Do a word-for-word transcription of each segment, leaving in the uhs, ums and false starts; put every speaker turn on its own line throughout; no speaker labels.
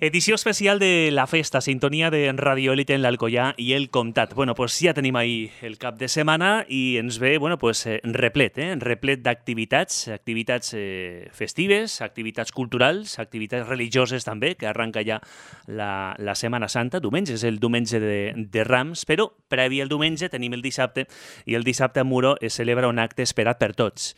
Edició especial de la festa, sintonia de Radio Élite en l'Alcoià i el Comtat. Bueno, pues ja tenim ahí el cap de setmana i ens ve, bueno, pues eh, replet, eh? replet d'activitats, activitats eh, festives, activitats culturals, activitats religioses també, que arranca ja la, la Setmana Santa. Diumenge és el diumenge de, de Rams, però previ al diumenge tenim el dissabte i el dissabte a Muro es celebra un acte esperat per tots.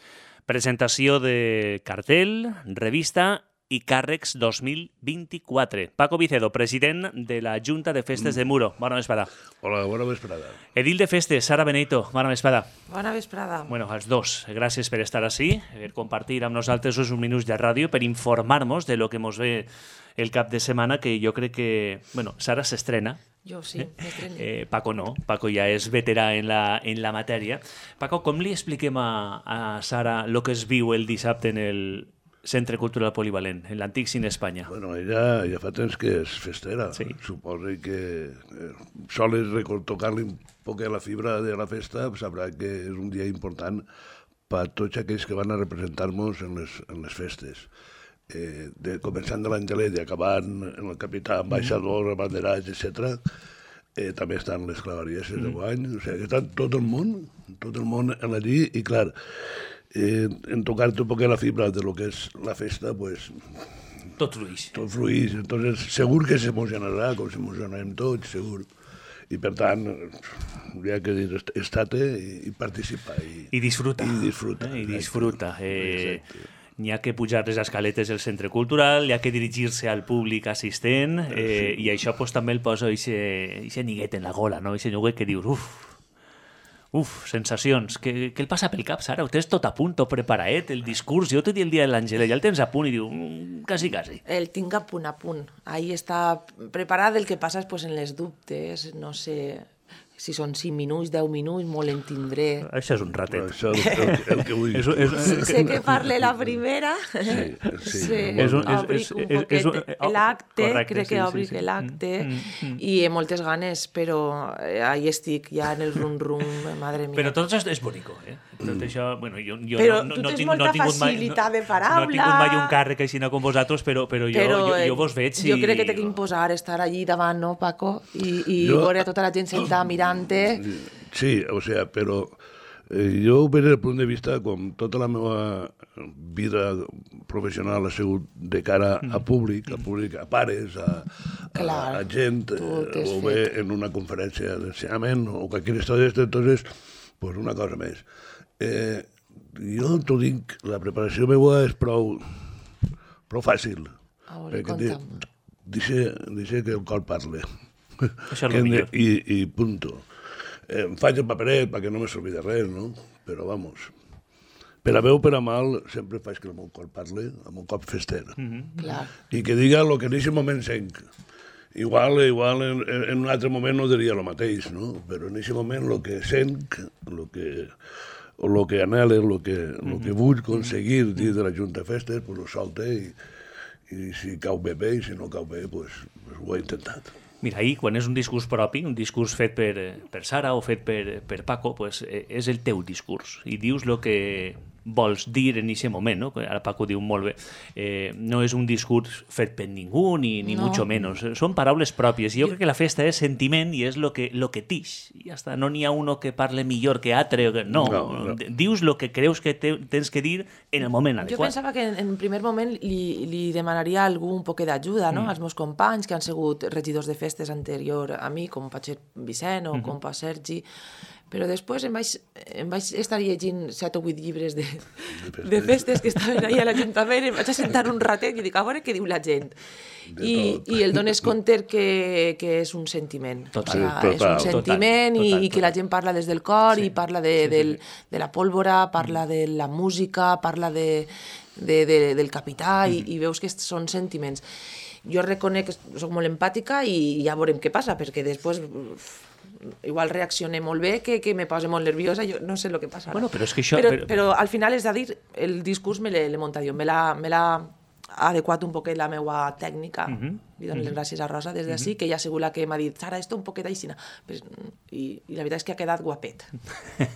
Presentació de cartell, revista i càrrecs dos mil vint-i-quatre. Paco Vicedo, president de la Junta de Festes de Muro. Bona vesprada.
Hola, bona vesprada.
Edil de Festes, Sara Benito. Bona vesprada.
Bona vesprada.
Bueno, als dos, gràcies per estar així, per compartir amb nosaltres uns minuts de ràdio, per informar-nos de lo que mos ve el cap de setmana, que jo crec que... Bueno, Sara s'estrena.
Jo sí, m'estreno.
Eh, Paco no, Paco ja és veterà en la, en la matèria. Paco, com li expliquem a, a Sara el que es viu el dissabte en el Centre Cultural Polivalent, en l'antic Cine Espanya?
Bueno, ella ja fa temps que és festera.
Sí.
Suposo que eh, sols tocar-li un poc a la fibra de la festa, sabrà que és un dia important per tots aquells que van a representar-nos en les, en les festes. Eh, de, començant de l'Angelet i acabant en el capità, ambaixador, mm. abanderats, etcètera. Eh, també estan les clavarieses mm. de guany, o sigui, que està tot el món, tot el món allí, i clar, eh, en tocar-te un poc la fibra de lo que és la festa, pues...
Tot fluix.
Tot fluix, entonces segur que s'emocionarà, com s'emocionarem tots, segur. I per tant, hi ha que dir, estar-te i, i participar. I,
I disfruta.
I disfruta.
Eh, I disfruta. Eh,
Exacte.
N'hi ha que pujar les escaletes del centre cultural, hi ha que dirigir-se al públic assistent, eh, sí. I això pues, també el posa aquest niguet en la gola, no? Aquest niguet que dius, uf, uf, sensacions. Què, què el passa pel cap, Sara? Ho tens tot a punt, tot preparaet, el discurs. Jo t'he dit el dia de l'Àngela, ja el tens a punt i diu, mm, quasi, quasi.
El tinc a punt, a punt. Ahí està preparat. El que passa és pues, en les dubtes, no sé... Si són cinc minuts, deu minuts, molt en tindré.
Això és un ratet.
Això és el, el, el que vull.
és, és, és,
sé que parle la primera.
Sí, sí.
sí.
És un,
obric
és,
un
és,
poquet
és un, oh,
l'acte,
correcte,
crec
sí,
que obric
sí, sí.
l'acte,
mm, mm.
i he moltes ganes, però ahí estic, ja en el rum-rum, madre mia.
Però tot això és bonico, eh? Tot mm. això, bueno, jo, jo
però
no, no,
tu
no
tens
tinc,
molta
no tinc
facilitat
mai,
de paraula.
No, no he tingut mai un càrrec així com vosaltres, però, però, jo,
però
jo, jo vos veig i...
Jo crec que t'he d'imposar estar allí davant, no, Paco? I, i
jo...
veure a tota la gent sentada mirant-te.
Sí, o sea, però eh, jo, des del punt de vista, com tota la meva vida professional ha sigut de cara a públic, a públic, a pares, a,
Clar,
a, a gent, eh, o bé en una conferència d'ensenyament o qualsevol història d'esta, entonces, pues una cosa més. Eh, jo t'ho dic, la preparació meva és prou, prou fàcil.
A veure, conta'm.
Deixa, deixa que el cor parle.
Això és el millor.
I, i punto. Eh, em faig el paperet perquè no me s'olvidi de res, no? Però, vamos, per a bé o per a mal, sempre faig que el meu cor parli, amb un cop fester.
Mm-hmm. Clar.
I que diga el que en aquest moment senc. Igual, igual en, en un altre moment no diria el mateix, no? Però en aquest moment el que senc, el que, o el que anhele, el que, el que vull aconseguir dins de la Junta de Festes, pues ho solte i, i si cau bé bé i si no cau bé, pues, pues ho he intentat.
Mira, ahir, quan és un discurs propi, un discurs fet per, per Sara o fet per, per Paco, pues, és el teu discurs i dius el que vols dir en aquest moment, no? Ara Paco diu molt bé, eh, no és un discurs fet per ningú, ni, ni
no.
mucho menos, són paraules pròpies, i jo crec que la festa és sentiment i és lo que, lo que tix, i ja està, no n'hi ha uno que parle millor que altre, no,
no, no.
dius lo que creus que te, tens que dir en el moment adequat.
Jo pensava que en, en primer moment li, li demanaria a algú un poc d'ajuda, no? Mm. Als meus companys que han sigut regidors de festes anterior a mi, com pot ser Vicent o mm-hmm. com pot Sergi, però després em vaig, em vaig estar llegint set o vuit llibres de, de festes que estaven ahí a l'Ajuntament, em vaig assentar un ratet i dic, a veure què diu la gent. I, i el dones compte que, que és un sentiment.
Total,
o sigui, és un sentiment total, total, i, i que la gent parla des del cor sí. i parla de, sí, sí, del, de la pólvora, parla de la música, parla de, de, de, del capità mm. i, i veus que són sentiments. Jo reconec que soc molt empàtica i ja veurem què passa, perquè després... igual reaccioné molt bé, que, que me posa molt nerviosa, jo no sé el que passa.
Bueno, però és que això...
Però,
però...
però al final és a dir, el discurs me l'he muntat jo, me l'ha adequat un poquet la meva tècnica.
Uh -huh.
Li dono les gràcies a Rosa des d'ací, uh -huh. que ella ha sigut la que m'ha dit, Sara, esto un poquet aixina. Pues, i, I la veritat és que ha quedat guapet. Ha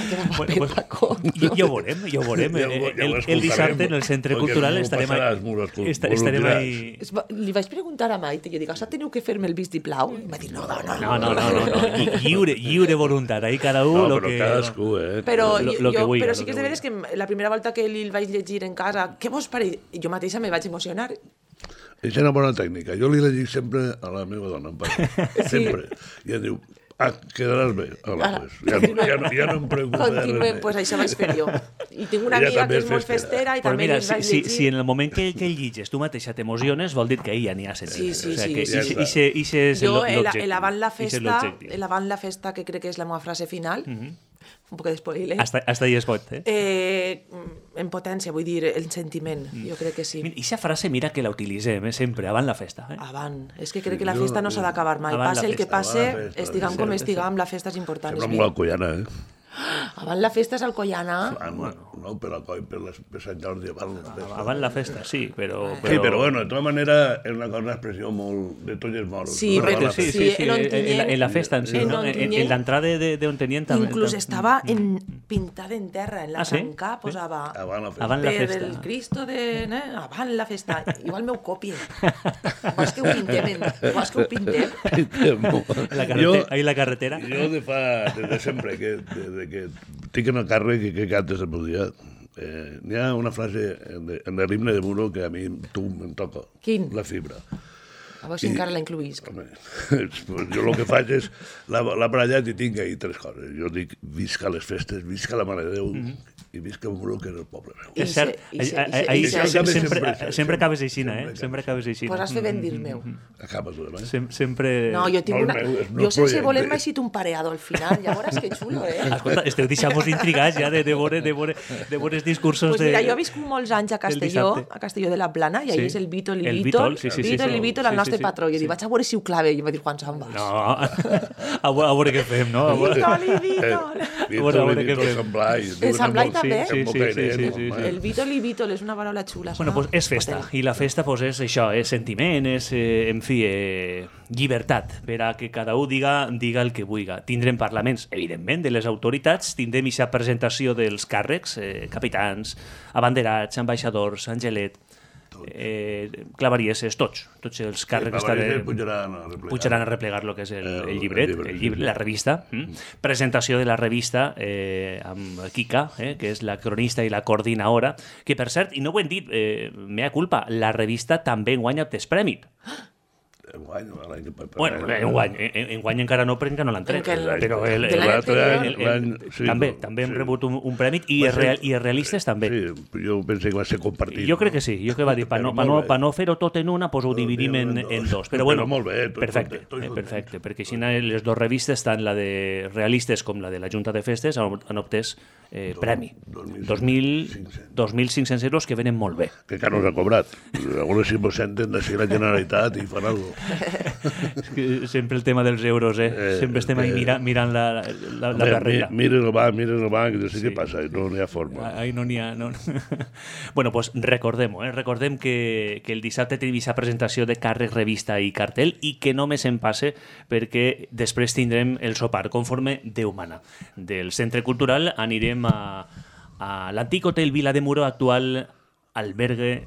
quedat guapet,
bueno, pues,
Paco.
Ja, ja ho veurem, ja ho veurem.
Ja ho-
el,
ja ho
el, el dissabte en el Centre Cultural estarem
passaràs,
ahí.
m'ho escol-
Esta,
m'ho
estarem
diràs.
ahí...
Es va- Li vaig preguntar a Maite, jo dic, això teniu que fer-me el vistiplau? I va dir, no, no, no.
No, no, no, no, no. Lli- Lliure, lliure voluntat, ahí cada un
No,
lo
però
que...
cadascú, eh?
Però,
Lo-
jo,
lo que
jo,
vulga,
però
lo
sí que
que
és de veres que la primera volta que li el vaig llegir en casa, què vos pareix? Jo mateixa me vaig emocionar.
És una bona tècnica. Jo li la dic sempre a la meva dona, em pare. Sempre. I em diu, ah, quedaràs bé. Hola,
Ara,
pues. ja, no, ja, no, ja no em preocupa de res
Continuem,
més.
pues això vaig fer jo. I tinc una
Ella
amiga
també
que
és
és molt
festera.
festera i
Però
també
mira,
li
si,
vaig
si,
llegir.
si en el moment que, que llitges tu mateixa t'emociones, vol dir que ella n'hi ha sentit.
Sí, sí,
o sea,
sí,
que
sí,
ixe-
sí.
ixe- ixe és
Jo, el,
l'objectiu.
el avant la
Ixe és
festa,
l'objectiu.
el avant la festa, que crec que és la meva frase final, un poc de spoiler,
Hasta, hasta ahí es pot, eh?
eh, en potència, vull dir, el sentiment, jo crec que sí.
Mira, ixa frase mira que la utilitzem, eh, sempre, avant la festa. Eh?
Avant. És que crec que la
jo-
festa no s'ha d'acabar mai.
Avant la
Passe el que
festa,
passe,
avant la festa,
estiguem
sí,
com
sí.
estiguem, la festa és important.
Sembla
és
molt
vida.
alcoiana, eh?
Avant la festa és Alcoiana.
Ah, no, no, per la coi, per, les, per Sant Jordi, avant la festa.
Avant la festa, sí, però...
Sí, però bueno, de tota manera és una cosa, una expressió molt de tots els moros.
Sí,
no?
Correcte,
Avant la
sí,
festa.
sí,
Sí,
sí,
en
en,
Ontinyent-
en la festa en sí,
en
no? En, en,
Ontinyent-
en l'entrada de, de Ontinyent també.
Inclús
tam-
estava en, pintada en terra, en la
Ah, sí?
tanca posava
Avant la festa.
Avant la
per
festa.
el Cristo de... Eh? Avant la festa. Igual m'ho copie. Vols que ho pintem? En... Vols que ho pintem?
La carretera, ahí la carretera.
Jo de fa, des de sempre, que, de, de que tinc en el càrrec que, que cantes el meu dia, eh, n'hi ha una frase en, de, en l'himne de Muro que a mi tu em toca.
Quin?
La fibra.
A veure si encara la incluïsc.
Home, jo el que faig és la, la barallat i tinc ahí tres coses. Jo dic, visca les festes, visca la Mare de Déu, mm -hmm. i visca Muro, que és el poble meu.
És cert,
I se- i se-
ahí-
i se-
ahí
i se-
sempre,
sempre-
sempre,
sempre-
sempre acabes aixina, eh?
sempre
Sempre acabes aixina.
Pues has fet ben dir meu.
Acaba tu, eh?
Sem sempre...
No, jo tinc
Molt
una...
meu, és
Jo
meu
sense
projecte.
voler m'he sigut un pareado al final. Ja veuràs que xulo, eh?
Escolta, esteu deixant-vos intrigats ja de, de, veure, de, veure, de veure els discursos
Pues
de...
mira, jo he viscut molts anys a Castelló,
dissabte.
a Castelló de la Plana, i ahí
Sí.
és el Vítol i
El
Vítol.
Vítol, sí, sí, sí,
Vítol
sí.
i Vítol,
Sí,
el
sí,
nostre
sí.
patró. I jo dic, vaig a veure si ho clave. I em va dir, Juan Samba.
No, a, veure, a veure què fem, no? A veure...
Vítol i Vítol.
Bueno, a veure què
Víctor
fem.
Sant Blai.
El Sant Blai també?
Sí, sí, sí, sí, sí, sí.
El Vítol i Vítol és una paraula xula.
Bueno, pues és festa, i la festa pues, és això, és sentiment, és, eh, en fi, eh, llibertat, per a que cada un diga, diga el que vulga. Tindrem parlaments, evidentment, de les autoritats, tindrem aquesta presentació dels càrrecs, eh, capitans, abanderats, ambaixadors, Angelet, eh, clavarieses, tots, tots els càrrecs
Sí,
estan...
pujaran a replegar.
pujaran a replegar el que és el,
El-
el llibret,
el llibre,
el
sí,
llibre,
sí.
la revista. Mm? Presentació de la revista eh, amb Kika, eh, que és la cronista i la coordinadora, que per cert, i no ho hem dit, eh, mea culpa, la revista també guanya tres premis.
Enguany, l'any que pa-
Bueno, enguany, en, enguany encara no, perquè no l'han tret.
Encara no.
Però el,
De l'any
l'altre
anterior.
any,
el, el,
l'any- sí,
també,
no,
també hem
sí.
rebut un, un premi i,
Va
els
ser-
real, i els realistes també.
Sí, jo pensé que va ser compartit.
Jo crec que sí, jo que va dir, per no,
Però
pa no,
molt bé.
pa no fer-ho tot en una, doncs ho dividim en, en dos. Però bueno,
Però molt bé, tots
perfecte,
contents, tots
eh,
contents.
perfecte, perquè així les dues revistes, tant la de realistes com la de la Junta de Festes, han, han obtès eh, premi.
dos mil
dos mil cinc-cents euros que venen molt bé.
Que encara no s'ha cobrat. A veure si mos senten de ser la Generalitat i fan alguna cosa.
És que sempre el tema dels euros, eh?
Eh,
sempre estem ahí
eh,
mira, mirant la, la, la
Home,
carrera.
mi- Mira el banc, mira el banc, no sé
Sí.
què passa, no n'hi ha forma.
Ahí no n'hi ha... No. bueno, pues recordem-ho, eh? recordem que, que el dissabte tenim aquesta presentació de càrrec, revista i cartell i que no més en passe perquè després tindrem el sopar conforme Déu mana. Del Centre Cultural anirem a, a l'antic hotel Vila de Muro, actual albergue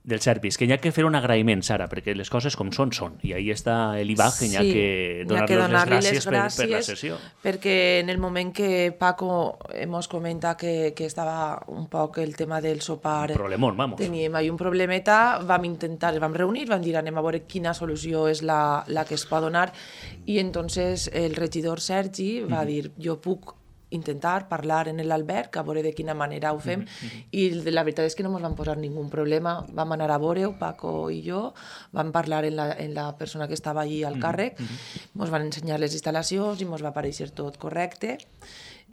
del Servis, que hi ha que fer un agraïment, Sara, perquè les coses com són, són. I ahí està l'Ibac, que hi ha que donar-los les
donar-li
gràcies, per, per la sessió.
perquè en el moment que Paco ens comenta que, que estava un poc el tema del sopar,
Un problemón, vamos.
teníem ahí un problemeta, vam intentar, vam reunir, vam dir anem a veure quina solució és la, la que es pot donar, i entonces el regidor Sergi va dir, jo puc intentar parlar en l'Alberg, a veure de quina manera ho fem, mm-hmm. i la veritat és que no ens van posar ningú problema, vam anar a veure-ho, Paco i jo, vam parlar en la, en la persona que estava allí al càrrec, ens mm-hmm. van ensenyar les instal·lacions i ens va aparèixer tot correcte,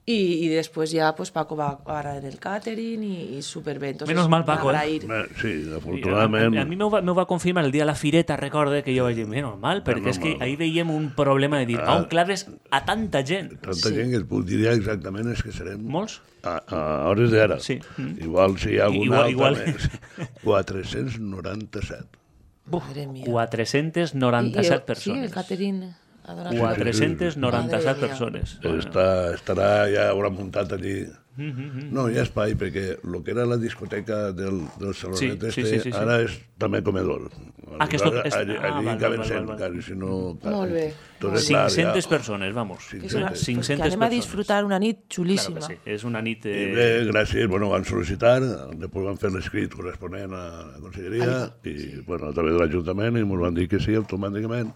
I, i després ja pues, Paco va agarrar el catering i, i superbé. Entonces,
Menos mal, Paco, eh?
Sí, afortunadament...
A, a, a mi m'ho va, va confirmar el dia de la fireta, recorde que jo vaig dir, menos mal, perquè menos és que mal. Ahir veiem un problema de dir, ah, on claves a tanta gent.
Tanta sí. gent que et diria exactament és que serem...
Molts?
A, a hores d'ara.
Sí.
Igual si hi ha algun
igual,
altre
igual.
més. quatre-cents noranta-set.
Buf, quatre-centes noranta-set
I,
persones.
Sí, el catering...
quatre-centes noranta-set persones.
Està, estarà, ja haurà muntat allí... No, hi ha espai, perquè el que era la discoteca del, del salonet sí, este, sí, sí, sí, ara és també comedor.
Ah, que esto, es...
allí
ah,
allí
val,
caben
val,
cent,
val,
val. Si no...
Molt bé.
cinc-centes ja... persones, vamos.
cinc-centes.
cinc-centes
que anem a disfrutar una nit xulíssima.
Claro que sí, és una nit... Eh...
I bé, gràcies, bueno, van sol·licitar, després van fer l'escrit corresponent a la conselleria, i sí. bueno, a través de l'Ajuntament, i ens van dir que sí, automàticament.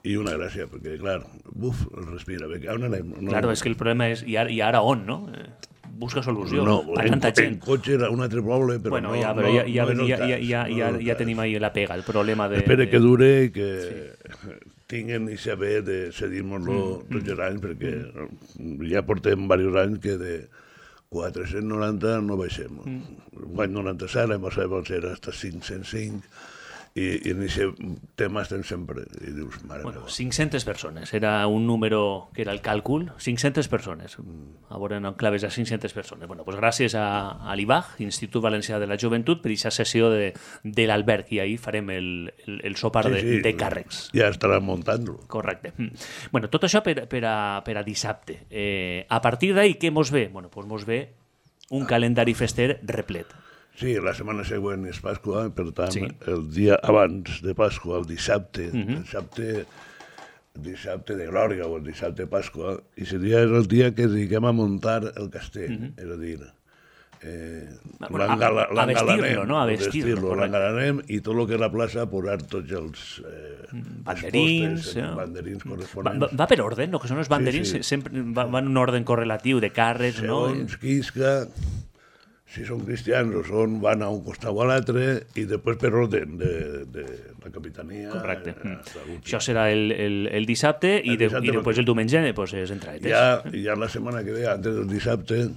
I una gràcia, perquè, clar, buf, el respira, perquè on anem?
No... Claro, és que el problema és, i ara, i ara on, no? Busca solució
no,
a tanta
en,
gent.
En cotxe era un altre poble, però
bueno,
no...
Ja, però
no,
ja, ja,
no
ja,
cas,
ja, ja,
no
ja, ja tenim ahí la pega, el problema de...
Espera
de...
que dure i que sí. tinguen i saber de cedir-nos-lo mm, tots els anys, perquè mm. ja portem diversos anys que de quatre-cents noranta no baixem. Mm. L'any noranta-set, l'any passat va ser fins a cinc-cents cinc, i, i en aquest tema estem sempre. I dius, mare
bueno,
meva.
cinc-centes persones, era un número que era el càlcul, cinc-centes persones. A veure, no claves a cinc-centes persones. Bueno, pues gràcies a, a l'I B A G, Institut Valencià de la Joventut, per aquesta sessió de, de l'Alberg, i ahir farem el, el, el sopar
sí,
de,
sí,
de càrrecs.
Ja estarà muntant-lo.
Correcte. Bueno, tot això per, per, a, per a dissabte. Eh, a partir d'ahir, què mos ve? Bueno, pues mos ve un calendari fester replet.
Sí, la setmana següent és Pasqua, per tant, sí. el dia abans de Pasqua, el dissabte, uh -huh. el dissabte, dissabte de Glòria o el dissabte de Pasqua, i seria el dia que dediquem a muntar el castell, uh -huh. és a dir, eh,
bueno, a, a vestir-lo, no? A vestir-lo.
L'engalanem i tot el que és la plaça posar tots els eh,
banderins,
postes,
ja.
banderins corresponents.
Va, va per ordre, no? Que són els banderins, sí, sí. sempre va, va en un ordre correlatiu de càrrecs, no?
Segons quisca... Si són cristians o són, van a un costat o a l'altre, i després per ordre de, de la capitania...
Correcte. Eh, Això serà el, el, el dissabte, el i, de, dissabte i després el diumenge pues, és entraetes.
Ja, ja la setmana que ve, antes del dissabte,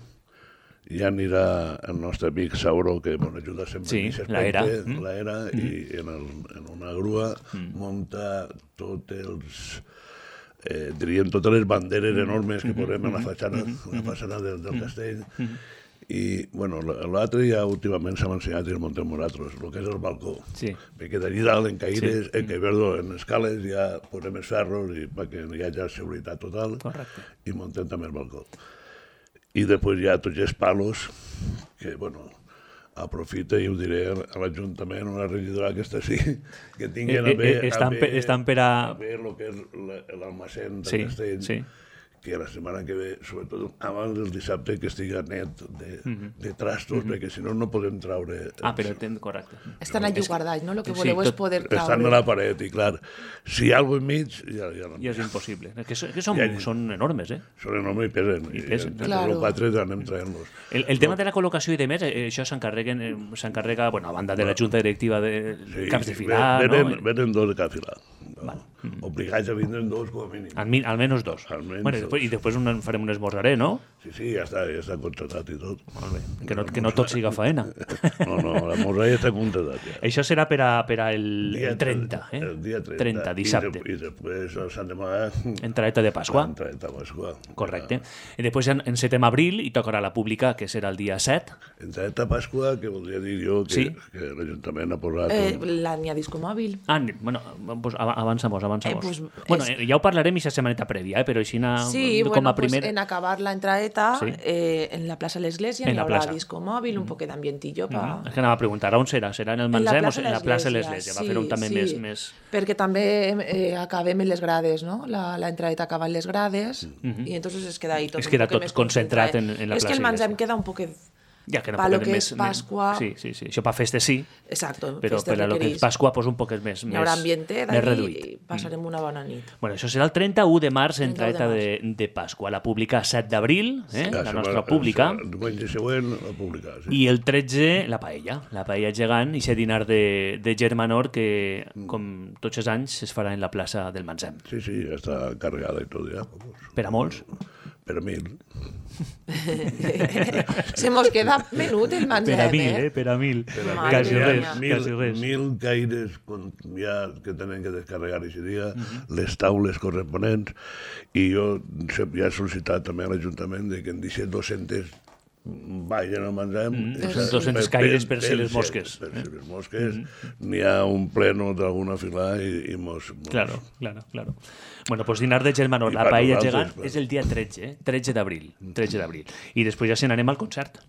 ja anirà el nostre amic Sauro, que ens ajuda sempre
sí,
en aquest aspecte, l'era, mm. i en, el, en una grua mm. munta tots els... Eh, diríem totes les banderes enormes que posem en la fatxana, mm. la fatxana del, del castell, mm. i, bueno, l'altre ja últimament s'ha ensenyat i el montem nosaltres, el que és el balcó. Sí. Perquè d'allí dalt, en caires, sí. en, que, perdó, en escales, ja posem els ferros i perquè hi hagi seguretat total.
Correcte.
I montem també el balcó. I després hi ha tots els palos, que, bueno, aprofita, i ho diré a l'Ajuntament, una regidora que està així, que tinguin a bé,
estan,
a bé,
estan per a...
a bé el que és l'almacén del
sí,
castell,
sí.
que la setmana que ve, sobretot abans del dissabte, que estigui net de, mm-hmm. de trastos, mm-hmm. perquè si no, no podem traure... Els...
Ah, però ten... correcte.
Estan allí guardats, no? El que voleu sí, és poder traure...
Estan a la paret, i clar, si hi ha alguna enmig, ja, ja no...
Ja és impossible. Que, so, que són, ja, són enormes, eh?
Són enormes i pesen.
I pesen.
I claro. Els quatre anem traient-los.
El, el tema de la col·locació i de més, eh, això s'encarreguen, eh, s'encarrega, bueno, a banda de la Junta Directiva de sí, caps de filar,
venen,
no?
Venen dos de cap filar.
Vale.
Mm. Obligats a vindre dos, com a mínim.
Al, al menos dos.
Al menos
bueno, i després, i després un, farem un esmorzaré, no?
Sí, sí, ja està, ja està contratat i tot.
Molt bé. Que no, que no tot siga faena.
No, no, l'esmorzar ja està contratat. Ja.
Això serà per a, per a el, el trenta, eh?
El dia trenta.
trenta, dissabte.
I, de, i després el Sant Demà...
Entraeta de Pasqua.
Entraeta de Pasqua.
Correcte. I després en, en setem abril i tocarà la pública, que serà el dia set.
Entraeta de Pasqua, que voldria dir jo que, sí? que l'Ajuntament ha posat...
Eh, la n'hi ha discomòbil.
Ah, bueno, pues avançamos, avançamos.
Eh, pues,
bueno,
és...
ja ho parlarem aquesta setmaneta prèvia, eh? Però així na,
sí,
com
bueno,
a primer...
pues en acabar la entraeta,
sí.
eh, en la plaça de l'Església, hi haurà discomòbil, un mm. poc d'ambientillo. Pa...
Mm. És que anava a preguntar, on serà? Serà en el Manzem o en la plaça de l'Església? Va fer un també
sí,
més, més...
Perquè també eh, acabem en les grades, no? La, la entraeta acaba en les grades, mm -hmm. i entonces es queda ahí tot
es queda
un poc
tot
més
concentrat en, en la
és
plaça.
És que el Manzem queda un poc...
Ja, que no
para lo que
més,
és Pasqua...
Sí, sí, sí. Això per festes sí.
Exacto.
Però per a lo que és Pasqua pues, un poc més,
hi haurà ambiente
més reduït.
I passarem una bona nit.
Bueno, això serà el trenta-u de març, entraeta de, de Pasqua. La pública set d'abril, eh? Sí. La nostra pública.
El diumenge següent, la pública. Sí.
I el tretze, la paella. La paella gegant, i aquest dinar de, de Germanor que, com tots els anys, es farà en la plaça del Manzem.
Sí, sí, ja està carregada i tot, ja.
Per a molts?
Per a mil.
Se mos queda menut el mengem,
Per a mil,
eh?
eh? Per a mil.
Madre
Quasi
mia.
res,
Mil,
quasi res.
mil caires con- ja que tenen que descarregar aquest dia, les taules corresponents, i jo se- ja he sol·licitat també a l'Ajuntament de que en deixi dos-centes vagin al mengem.
Mm, dos-centes caires per si les mosques.
Per si les mosques. N'hi ha un pleno d'alguna filà i, i mos, mos...
Claro, claro, claro. Bueno, pues dinar de germanor,
I
la
per
paella
nosaltres,
gegant
clar.
és el dia tretze, eh? tretze d'abril. tretze d'abril. I després ja se n'anem al concert.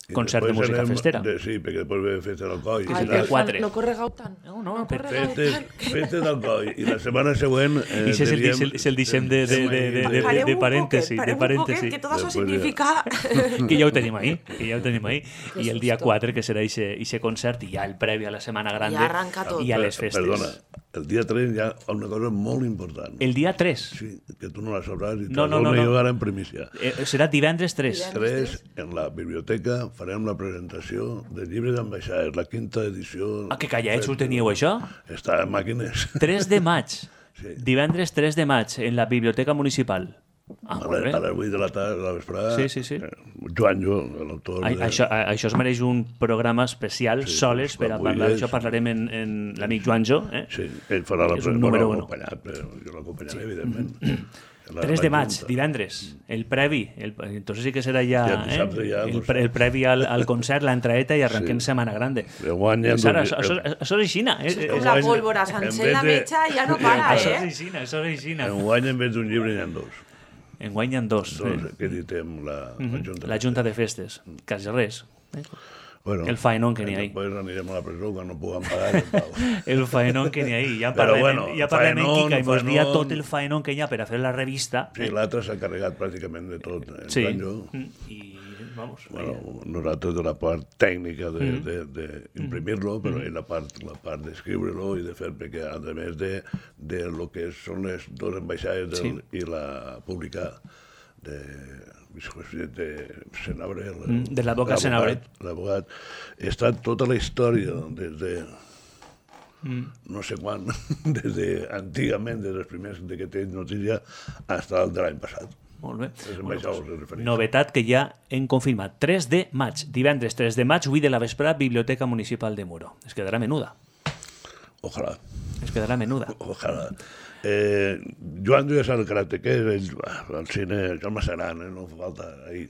I
Concert de
després
música
anem
festera.
De, sí, perquè després ve festa d'Alcoi.
Que és
Ai,
el dia
porfa,
quatre.
no corregau tant.
No, no,
no
per-
corregau
Festes,
tant.
festes d'Alcoi. I la setmana següent... Eh,
I és el,
diríem-
és el, és el deixem de, de, de, de, de,
Pareu
de
un
parèntesi.
poquet,
De
pareu un
parèntesi.
poquet, que tot això
Després ja.
significa...
Que ja ho tenim ahí, que ja ho tenim ahí. I el dia
susto.
quatre, que serà ixe concert, i ja el previ a la Setmana Grande,
Ja arranca tot.
i a les festes.
Perdona, el dia tres hi ha una cosa molt important.
El dia tres.
Sí, que tu no la sabràs i te
No,
la
no, no,
dono
no.
jo ara en primícia.
Eh, serà divendres tres.
Tres, en la biblioteca farem la presentació del llibre d'ambaixades, la quinta edició.
Ah, que callets ho teníeu, això?
Està en màquines.
tres de maig.
Sí.
Divendres tres de maig, en la Biblioteca Municipal. Ah,
A,
molt
les,
bé.
a les vuit de la tarda, a la vesprada.
Sí, sí, sí.
Eh, Joan Jo, l'autor...
A,
de-
això, a, això es mereix un programa especial,
Sí,
soles, per a
quan
parlar
vulguis.
d'això. Parlarem en, en l'amic Joanjo. Eh?
Sí, ell farà la
És un
bueno,
número uno.
acompanyat, però jo l'acompanyaré, evidentment. La-
tres
la
de maig,
Junta.
divendres, el previ. El, entonces sí que serà ja,
Ja el dissabte
eh?
ja,
el,
doncs.
pre, el previ al, al concert, l'entraeta i arrenquem
Sí.
Setmana Grande.
Enguany hi ha
Sara,
dos-
això, això, això és aixina. Eh?
Com
Eh,
la
Enguany,
pólvora
en
sencer
vez
la
de-
metxa ja no para,
Això és
eh?
aixina, això és aixina.
Enguany, en vez d'un llibre, hi ha dos.
Enguany hi ha dos.
Dos
eh?
que editem la, la Junta.
La Junta de Festes, quasi res. Eh?
Bueno,
El faenón que n'hi ha ahí.
Després anirem a la presó quan no puguem pagar. el pau.
El faenón que n'hi ha ahí. Ja
Però
parlem,
bueno,
ja parlem en
faenón,
Kika i mos dia
faenón.
tot el faenón que hi ha per a fer la revista.
Sí, l'altre s'ha carregat pràcticament de tot. En
Sí.
plan, jo,
Mm, I, vamos,
bueno, nosaltres de la part tècnica
Mm.
d'imprimir-lo, però ell la part, la part d'escriure-lo i de fer, perquè a més de, de lo que són les dues ambaixades del,
Sí.
i la publicar de de Senabre, el-
Mm, de l'advocat Senabre.
L'advocat. Està tota la història des de no sé quan, des de antigament, des dels primers de que tens notícia, fins al de l'any passat.
molt bé.
Les ambaixades es refereixen.
Novetat que ja hem confirmat. tres de maig, divendres tres de maig, vuit de la vesprada, Biblioteca Municipal de Muro. Es quedarà menuda.
Ojalà.
Es quedarà menuda.
Ojalà. Eh, Joan ja sap el caràcter que és, ell, ah, el cine, això és massa gran, eh, no fa falta ahir.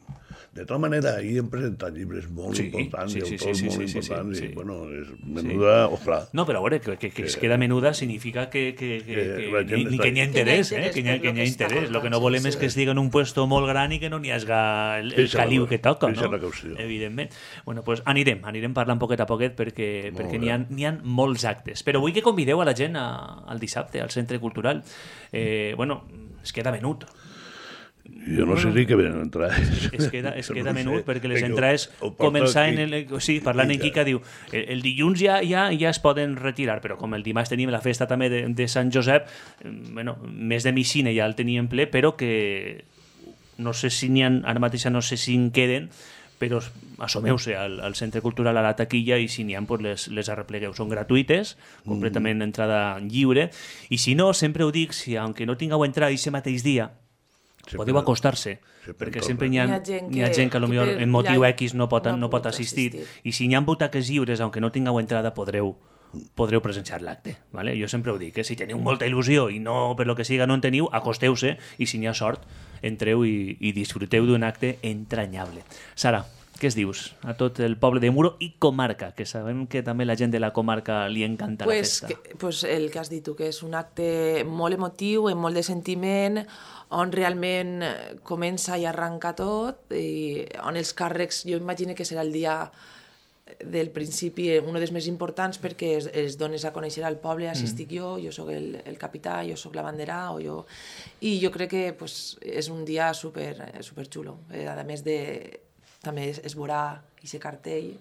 De tota manera, ahir hem presentat llibres molt
Sí,
importants
sí,
i
sí,
autors
sí, sí,
molt
sí, sí,
importants
sí.
i, bueno, és menuda, ojalà.
No, però a veure, que, que, que es queda menuda significa que, que, que,
Que
que,
la
ni,
gent
ni
està-
que n'hi ha interès, eh? que n'hi ha,
per
que
lo
n'hi ha
que està
interès. El que no
faltant,
volem
sí,
és
sí.
que estigui en un puesto molt gran i que no n'hi hagi el, el
Eixa la
caliu
cosa,
que toca,
eixa
no?
la qüestió.
Evidentment. Bueno, pues anirem, anirem parlant poquet a poquet perquè,
Molt
perquè
bé.
n'hi ha, n'hi ha molts actes. Però vull que convideu a la gent a, al dissabte, al Centre Cultural. Eh, bueno, es queda menut.
Jo no sé si que venen entrades.
Es queda, es
Jo
queda
no
menut
sé.
perquè les
Perquè
entrades
ho- ho porta
començaven...
aquí.
El, sí, parlant en Quica, diu el, el dilluns ja, ja ja es poden retirar, però com el dimarts tenim la festa també de, de Sant Josep, eh, bueno, més de micina ja el teníem ple, però que no sé si n'hi ha, ara mateix no sé si en queden, però assomeu-se al, al Centre Cultural, a la taquilla, i si n'hi ha, pues les, les arreplegueu. Són gratuïtes, completament entrada lliure, i si no, sempre ho dic, si aunque no tingueu entrada aquest mateix dia,
Sempre-
podeu acostar-se,
sempre
perquè
en
sempre
torna.
hi ha,
Hi ha gent
hi ha
que-
gent que,
que
potser
per
en motiu
la-
X no pot,
no ha
no pot
pogut
assistir,
assistir.
i si n'hi ha butaques lliures, aunque no tingueu entrada, podreu podreu presenciar l'acte. ¿vale? Jo sempre ho dic, eh? Si teniu molta il·lusió i no, per lo que siga, no en teniu, acosteu-se i si n'hi ha sort, entreu i, i disfruteu d'un acte entranyable. Sara, què es dius a tot el poble de Muro i comarca, que sabem que també la gent de la comarca li encanta
Pues,
la festa.
que, pues el que has dit tu, que és un acte molt emotiu, amb molt de sentiment, on realment eh, comença i arranca tot, i on els càrrecs, jo imagino que serà el dia del principi un dels més importants perquè es, es dones a conèixer al poble, així estic jo, jo sóc el, el capità, jo sóc la bandera, o jo... i jo crec que pues, és un dia super, super xulo. Eh, a més de... també es, es veurà aquest cartell,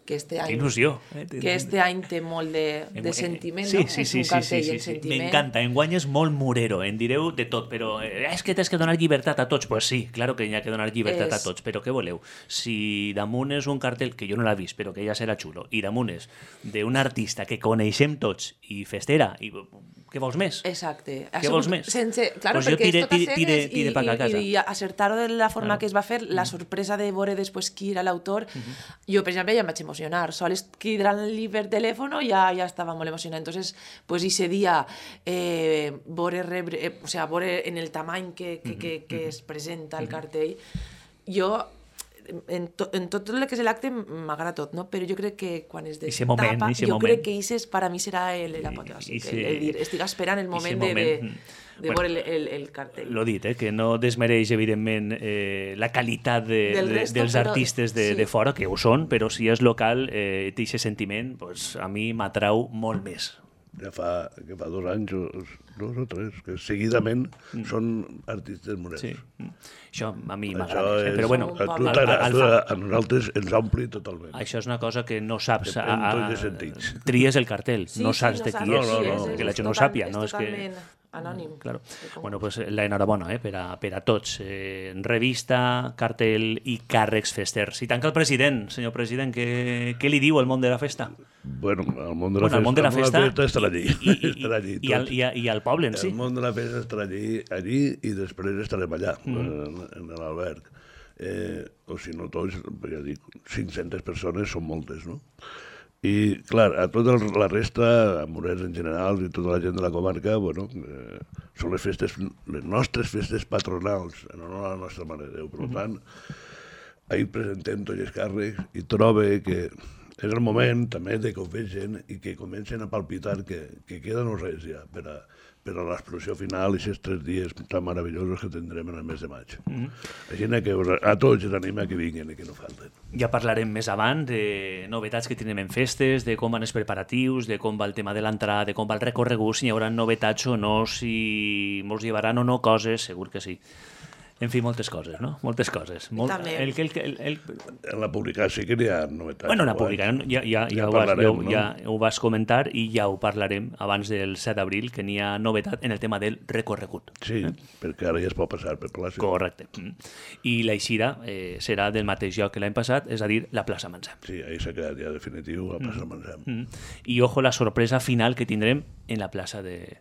que este any,
Il·lusió. Eh?
que este any té molt de, de sentiment,
sí,
no?
sí,
És
sí,
un
sí,
cartell
sí,
en
sí, sí.
sentiment.
M'encanta, enguany és molt murero, en direu de tot, però eh, és que tens que donar llibertat a tots. Pues sí, claro que hi ha que donar llibertat
És-
a tots, però què voleu? Si damunt és un cartell, que jo no l'he vist, però que ja serà xulo, i damunt és d'un artista que coneixem tots, i festera, i què vols més?
Exacte.
Què vols més?
Sense, claro,
pues
perquè
tire,
és tot a
tire, tire,
cegues
tire
i,
pa a casa.
i, i acertar-ho de la forma
Claro.
que es va fer, la sorpresa de veure després qui era l'autor, jo, per exemple, ja em vaig emocionar. Sols cridant-li per telèfon ja, ja estava molt emocionada. Entonces, pues, ese dia, eh, veure, rebre, eh, o sea, veure en el tamany que, que, que, que es presenta el cartell, jo en, to, en tot el que és l'acte m'agrada tot, no? Però jo crec que quan es destapa,
Ixe moment, ixe
jo
moment.
crec que ese per a mi serà l'apoteòsic.
Ixe-
El, el dir, estic esperant el moment,
moment,
de,
mm.
de, de
Bueno,
veure el, el, el cartell.
Lo dit, eh, que no desmereix, evidentment, eh, la qualitat de,
Del
de,
resto,
dels
però-
artistes de,
sí.
de fora, que ho són, però si és local, eh, té aquest sentiment, pues, a mi m'atrau molt més.
Ja fa, que fa dos anys, o, dos o tres, que seguidament mm. són artistes morets.
Sí. Mm. Això a mi
Això
m'agrada més. Eh?
és,
Però bueno,
a, tu
al-
t'agrada,
al-
tu
al-
a nosaltres ens ompli totalment.
això és una cosa que no saps.
En
A,
tots
a,
els sentits.
tries el cartell,
Sí,
no
sí,
saps de
saps
qui
No,
és,
no,
eh,
no.
que la
És
gent no
total-
sàpia. No?
És
És que...
totalment anònim.
Claro.
Com-
Bueno, pues la enhorabona eh, per, a, per a tots. Eh, revista, cartell i càrrecs festers. I tanca el president. Senyor president, què, què li diu al món de la festa?
Bueno, el món de la
Bueno, el món de la
festa,
festa,
estarà allí.
i, i,
estarà allí
i, i, al,
tot.
i, a- i al poble en si.
El món de la festa estarà allí, allí i després estarem allà, mm. en, en l'alberg. Eh, o si no tots, ja dic, cinc-centes persones són moltes, no? I, clar, a tota el- la resta, a Morers en general i tota la gent de la comarca, bueno, eh, són les festes, les nostres festes patronals, en honor a la nostra Mare de Déu. Per tant, ahir presentem tots els càrrecs i trobe que és el moment també de que ho vegin i que comencen a palpitar que, que queda no res ja per a, per a l'explosió final i aquests tres dies tan meravellosos que tindrem en el mes de maig. Mm -hmm. Així que us- a tots els anima que vinguin i que no falten.
Ja parlarem més avant de novetats que tindrem en festes, de com van els preparatius, de com va el tema de l'entrada, de com va el recorregut, si hi haurà novetats o no, si mos llevaran o no coses, segur que sí. En fi, moltes coses, no? Moltes coses. Molt...
També.
El, el, el, el...
En la publicació sí que n'hi ha novetats.
Bueno, la
guais.
publicarem, ja, ja, ja,
Ja
ho, vas, ja,
parlarem,
ho-
no?
ja ho vas comentar i ja ho parlarem abans del set d'abril, que n'hi ha novetat en el tema del recorregut.
Sí, perquè ara ja es pot passar per plaça.
Correcte. Mm. I l'eixida eh, serà del mateix lloc que l'any passat, és a dir, la plaça Mansam.
Sí, ahir s'ha quedat ja definitiu a plaça Mansam.
Mm. I ojo la sorpresa final que tindrem en la plaça de,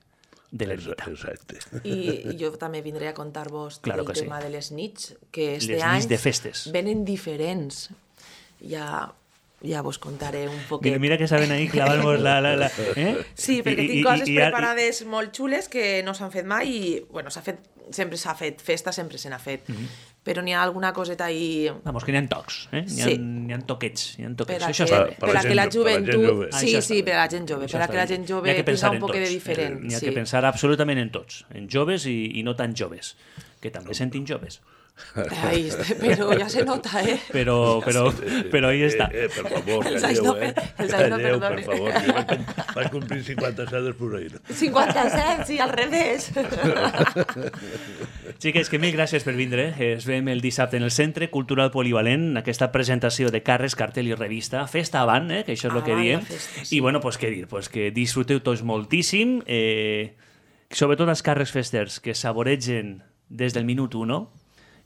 de l'Ermita.
Exacte.
I jo també vindré a contar-vos
Claro
el
que sí.
tema de les nits, que este
Les
any
nits de festes.
venen diferents. Ja, ja vos contaré un poquet.
Mira, mira que saben ahí clavar-nos la... la, la eh?
Sí, perquè
I-
tinc
i-
coses
i- i ara-
preparades molt xules que no s'han fet mai i, bueno, s'ha fet, sempre s'ha fet, festa sempre se n'ha fet, però n'hi ha alguna coseta ahí
Vamos, que n'hi ha tocs, eh? N'hi ha,
Sí.
n'hi ha toquets, n'hi ha
per
toquets.
a
Això
que,
està bé.
Per
per
la
a que
gent
la
jo- per la gent
joventut...
jove.
Ah,
Sí,
això
sí,
està
per a
bé.
la gent jove,
Això
per a
està
que la
bé.
gent
N'hi ha
jove
que
tinga
pensar
un
en
poc de
tots.
diferent.
N'hi ha
sí.
que pensar absolutament en tots, en joves i, i no tan joves, que també sentim joves.
Ai, però ja se nota, eh?
Però, però, però ahí està.
Eh, eh, per favor,
Els
calleu,
anys no
eh?
per- els anys no
Calleu, per
perdonen.
favor. Jo vaig, vaig complir cinquanta-set després d'ahir.
cinquanta-set, sí, al revés.
Xiques, que mil gràcies per vindre. Es veiem el dissabte en el Centre Cultural Polivalent, aquesta presentació de carres, cartell i revista. Festa avant, eh? Que això és el que
Avant la
diem.
festa, sí.
I bueno, pues què dir? Pues que disfruteu tots moltíssim, eh, sobretot els carres festers que saboregen des del minut uno,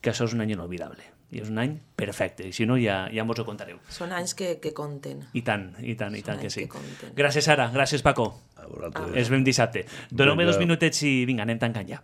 que això és un any inolvidable. I és un any perfecte. I si no, ja, ja mos ho contareu.
Són anys que, que compten.
I tant, i tant, i
Són
tant que
anys
sí.
que compten.
Gràcies, Sara. Gràcies, Paco.
A vosaltres.
Ens veiem dissabte. Doneu-me
Vinga.
dos minutets i vinga, anem tancant ja.